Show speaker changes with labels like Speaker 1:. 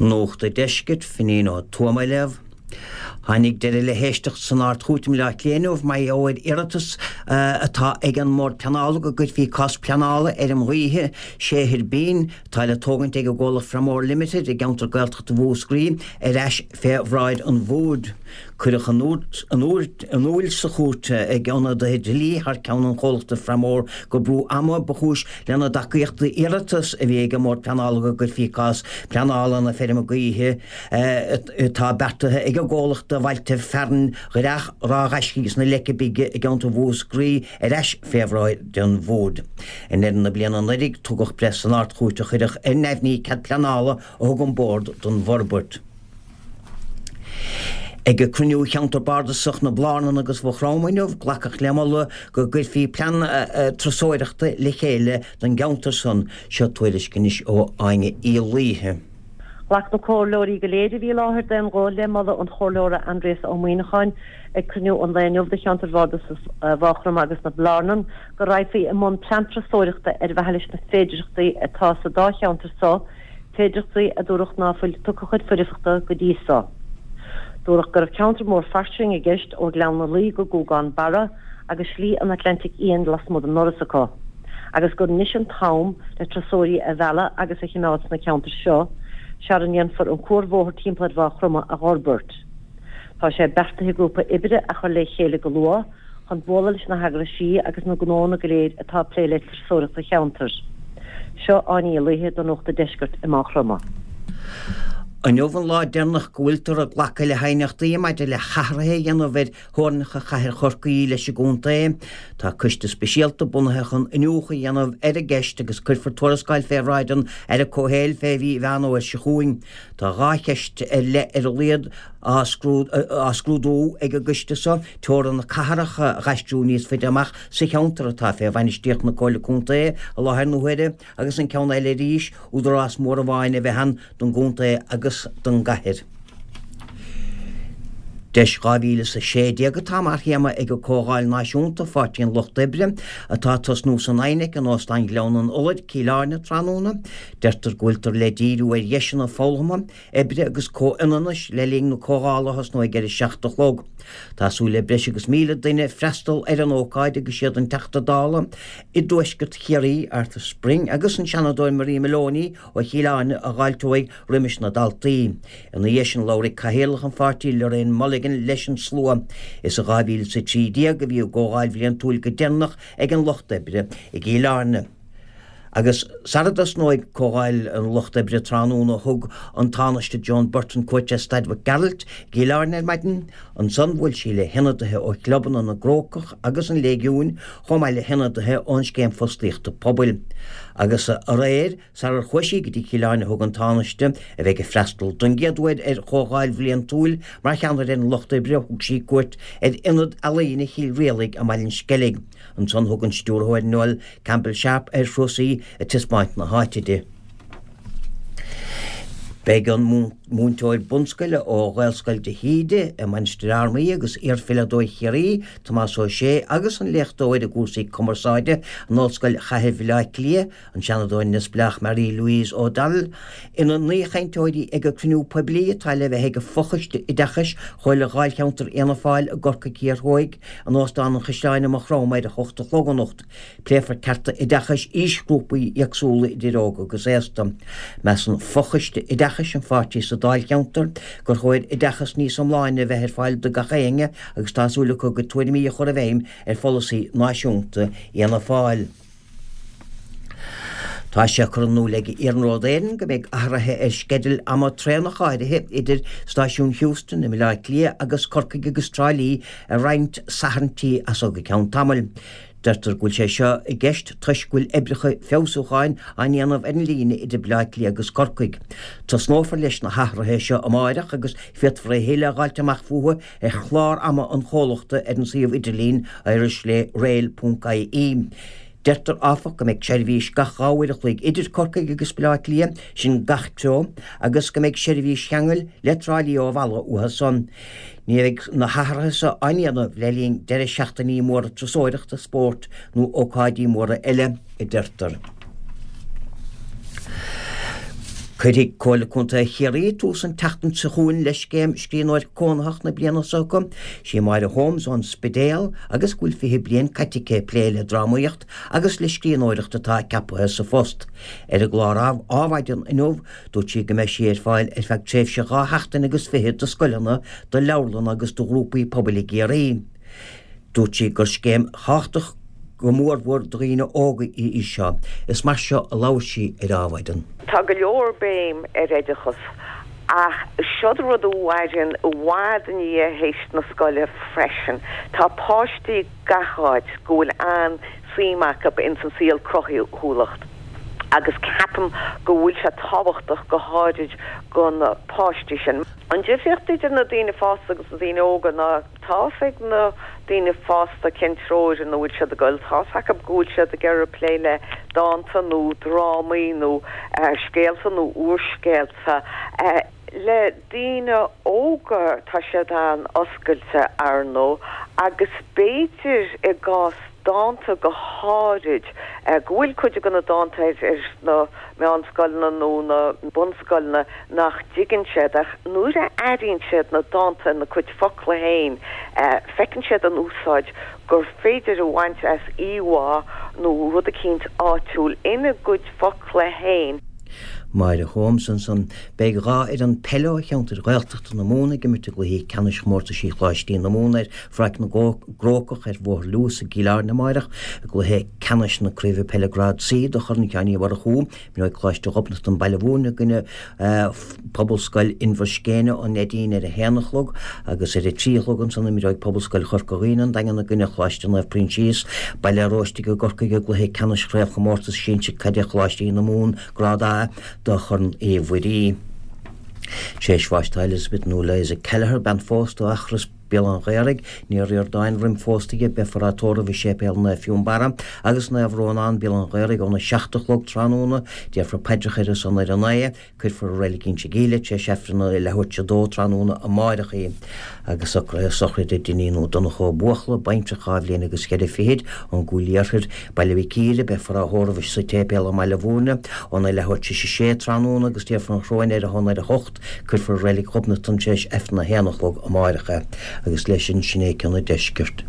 Speaker 1: Nuacht an Deiscirt, Finín Ó Tuama á léamh. Tháinig deireadh le héisteacht san Ard-Chúirt i mBleá Cliath inniu mar gheall ar iarratas atá ag an mBord Pleanála go gcuirfí cás pleanála fheirm ghaoithe sé thuirbín atá le tógaint ag an gcomhlacht Framore Limited i gceantar Gaeltachta Mhúscraí ar ais fé bhráid an Bhoird. Cuireadh in iúl sa chúirt ag ionadaithe dlí thar ceann an chomhlachta Framore gur brú ama ba chúis lena dtacaíocht d'iarratas a bhí ag an mBord Pleanála go gcuirfí cás pleanála na feirme gaoithe atá beartaithe ag an gcomhlacht do bhailte fearainn Dhreach Ráth Ghaiscígh agus na Leice Bige i gceantar Mhúscraí ar ais fé bhráid an Bhoird. I ndeireadh na bliana anuraidh, tugadh breith san Ard-Chúirt a chuirfeadh ar neamhní cead pleanála a thug an Bord don bhforbairt. Ag cruinniú Cheantar Bardasach na Blarnan agus Mhaigh Chromtha inniu, glacadh le moladh go gcuirfí plean turasóireachta le chéile don gceantar san. Seo tuairisc anois ó Áine Uí Laoithe.
Speaker 2: Ghlac na comhairleoirí go léir a bhí i láthair d'aon ghuth le moladh an Chomhairleora Aindrias Ó Muíneacháin ag cruinniú an lae inniu de Cheantar Bhardasach Mhaigh Chromtha agus na Blarnan go raghfaí i mbun plean turasóireachta ar mhaithe leis na féidearthachtaí atá sa dá cheantar so, féidearthachtaí a dúradh ná fuil tugtha chuid foirfeachta go dtí so. Dúradh go raibh ceantar mór fairsing i gceist ó Ghleann na Laoi go Guagán Barra agus Slí an Atlantaigh Fhiáin lasmuigh den ndoras acu. agus gur anois an t-am le turasóirí a mhealladh agus a chimeád sna ceantair seo, sara ndéanfar an cuarbhóthar timpeall ar Mhaigh Chromtha a dh'fhorbairt. Tá sé beartaithe grúpa oibre a chur le chéile go luath chun bualadh leis na heagraisí agus na gnóanna go léir atá ag plé le turasóireacht sa cheantar. Seo Áine Uí Laoithe do Nuacht an Deiscirt i Maigh Chromtha.
Speaker 1: Inniu an lá deireanach go bhfuiltear ag glacadh le haighneachtaí maidir le hathruithe a dhéanamh ar theorainneacha Chathair Chorcaí leis an gcontae. Tá coiste speisialta bunaithe chun iniúchadh a dhéanamh ar an gceist agus cuirfear tuarascáil fé bhráid an Aire Comhshaoil fé mhí Mheán Fhómhair seo chugainn. Tá 2 cheist ar leith ar a laghad á scrúdú ag an gcoiste seo, teorainn na cathrach a dh'aistriú níos faide amach sa cheantar atá fé bhainistíocht na Comhairle Contae i láthair na huaire agus an ceann eile arís, údarás mór amháin a bheith ann don gcontae agus don gcathair. Deis 2016 atá mar théama ag an Comhdháil Náisiúnta Pháirtí an Lucht Oibre atá ag tosnú san INEC in Óstán Ghleann an Fholair, Cill Airne tráthnóna. Deirtear go bhfuiltear le díriú ar dheiseanna foghlama, oibre agus comhionannais le linn na comhdhála a thosnóidh ar a 7 a chlog. Tá súil le breis agus 1,000 duine freastal ar an ócáid agus siad an Teachta Dála i dTuaisceart Chiarraí, Arthur Spring agus an Seanadóir Marie Moloney ó Chill Airne a dh'fháilteoidh roimis na daltaí. Ina dhiaidh sin labharfaidh Cathaoirleach an pháirtí Lorraine Mulligan leis an slua. Is i 2013 a bhí an gcomhdháil bhliantúil go deireanach ag an Lucht Oibre i gCill Airne. Agus sara dtosnóidh Comhdháil an Lucht Oibre tráthnóna thug an Tánaiste Joan Burton cuairt ar Staid Mhic Gearailt i gCill Airne ar maidin. Ansan bhuail sí le hionadaithe ó chlubanna na gCrócach agus an Léigiúin chomh maith le hionadaithe ón Scéim Fostaíochta Pobail. Agus aréir, sarar chuaigh sí go dtí Cill Airne thug an Tánaiste, a bheidh ag freastal don gcéad uair ar Chomhdháil bhliantúil mar cheannaire ar an Lucht Oibre, thug sí cuairt ar Ionad Ealaíne Chill Rialaig i mBaile an Sceilg. Ansan thug an stiúrthóir Noel Campbell Sharpe ar thuras í ag taispeáint na háite di. Beidh an múinteoir bunscoile ó Ghaelscoil de hÍde i Mainistir Fhearmaí agus iarpheileadóir Chiarraí, Tomás Ó Sé agus an léachtóir i gcúrsaí cumarsáide in Ollscoil Chathair Bhaile Átha Cliath, an Seanadóir neamhspleách Marie Louise O'Donnell, ina n-aoichainteoirí ag an cruinniú poiblí atá le bheith ag Fochoiste Oideachais Chomhairle Dháilcheantar Fhianna Fáil i gCorcaigh Thiar Thuaidh in Óstán an Chaisleáin i Maigh Chromtha ar a hocht a chlog anocht. Pléifear cearta oideachais aoisghrúpaí éagsúla idir óg agus aosta. Measann Fochoiste Oideachais an pháirtí sa Dáilcheantar gur chóir oideachas níos iomláine a bheith ar fáil do gach éinne agus tá súil acu a gcuid tuairimí a chur i bhfeidhm ar pholasaí náisiúnta Fhianna Fáil. Tá sé curtha in iúl ag Iarnród Éireann go mbeidh athruithe ar sceidil ama traenach áirithe idir Stáisiún Heuston i mBaile Átha Cliath agus Corcaigh agus Trá Lí ar roinnt Sathairntí as so go ceann tamaill. Deirtear go bhfuil sé seo i gceist toisc go bhfuil oibreacha feabhsúcháin á ndéanamh ar an líne idir Baile Átha Cliath agus Corcaigh. Tosnófar leis na hathruithe seo amáireach agus féadfar a thuilleadh a dh'fháilt amach fúthu ar chlár ama an chomhlachta ar an suíomh idirlín irishrail ponc ie. Deirtear, áfach, go mbeidh seirbhís gach 2 uair a chloig idir Corcaigh agus Baile Átha Cliath, sin gach treo, agus go mbeidh seirbhís cheangail le Trá Lí ó Mhalla uathu san. Ní bheidh na hathruithe seo á ndéanamh le linn deireadh seachtainí móra turasóireachta, spóirt nó ócáidí móra eile, a deirtear. Cuirfidh Comhairle Contae Chiarraí tús an tseachtain seo chugainn le scéim Scríbhneoir Cónaitheach na bliana seo acu. Sí Máire Holmes ón Spidéal agus go bhfuil 20 bliain caite aici ag plé le drámaíocht agus le scríbhneoireacht atá ceaptha sa phost. Ar an gclár Adhmhaidin inniu dúirt sí go mbeidh sí ar fáil ar feadh tréimhse 2 sheachtain agus fichead do scoileanna, do leabharlanna agus do ghrúpaí pobail i gCiarraí. Dúirt sí gur scéim thábhachtach go mórmhór do dhaoine óga í seo. Is mar seo a labhair sí ar Adhmhaidin.
Speaker 3: Tá go leor béim ar oideachas ach seod rud a mhaireann i bhfad i ndiaidh théis na scoile freisin. Tá páistí gach áit go bhfuil an-suim acu ins an saol cruthúlacht agus ceapaim go bhfuil sé tábhachtach go háirid go na páistí sin. An difríocht idir na daoine fásta agus na daoine óga ná tá's ag na daoine fásta cén treo ina bhfuil siad ag goil, tá's acu go bhfuil siad ag iarraidh plé le dánta nó drámaí nó scéalta nó úrscéalta. Le daoine óga tá siad an-oscailte, ar ndóigh, agus b'fhéidir i gcás dánta go háirid, go bhfuil cuid de na dánta ar na meánscoileanna nó na bunscoileanna nach dtuigeann siad, ach nuair a airíonn siad na dánta ina gcuid focla féin, feiceann siad an úsáid gur féidir a bhaint as íomhá nó rud eicínt áitiúil ina gcuid focla féin.
Speaker 1: Máire Holmes ansan. Beidh 2 fhoireann peile ó cheantair Ghaeltachta na Mumhan ag imirt i gcluichí ceannais chomórtaisí Choláistí na Mumhan ar Pháirc na gCrócach ar Bhóthar Lewis i gCill Airne amáireach i gcluiche ceannais na Craoibhe Peile Grád C do Chorn Sheáin Uí Mhurchú. Imreoidh Coláiste Ghobnatan Baile Mhúirne i gcoinne Pobalscoil Inbhir Scéine ón Neidín ar a haon a chlog agus ar a trí a chlog ansan imreoidh Pobalscoil Chorca Dhuibhne an Daingean i gcoinne Choláiste Naomh Proinsias, Baile Róistigh i gCorcaigh i gcluiche ceannais Chraobhchomórtas Sinsir Caide Choláistí na Mumhan Grád A do Chorn Uí Mhuirí. Tar éis bháis tá Elizabeth nó Liza Kelleher, bean phósta ó Eachros, Béal an Ghaorthaidh, Ní Ríordáin roim phósta di, beifear á tórramh i Séipéal Naomh Fionnbarra agus Naomh Rónán, Béal an Ghaorthaidh óna 7 a chlog tráthnóna. Déarfar paidreacha ar a son ar a 9. Cuirfear i Reilig Inse Gíle tar éis Aifreann a leathuair tar éis a dó tráthnóna amáireach í. Agus socruithe sochraide Dineen Ó Donnchadha Ó Buachalla, baintreach 2 bhliain agus cheithre fichid, ón gCúil Iarthair, Baile Mhic Íre, beifear á thórramh sa tséipéal i mBaile Mhúirne óna leathuair tar éis a sé tráthnóna agus déarfar an choróin ar a shon ar a hocht. Cuirfear i Reilig Ghobnatan tar éis Aifreann a haon a chlog amáireach é. Agus leis sin, sin é Ceann an Deiscirt.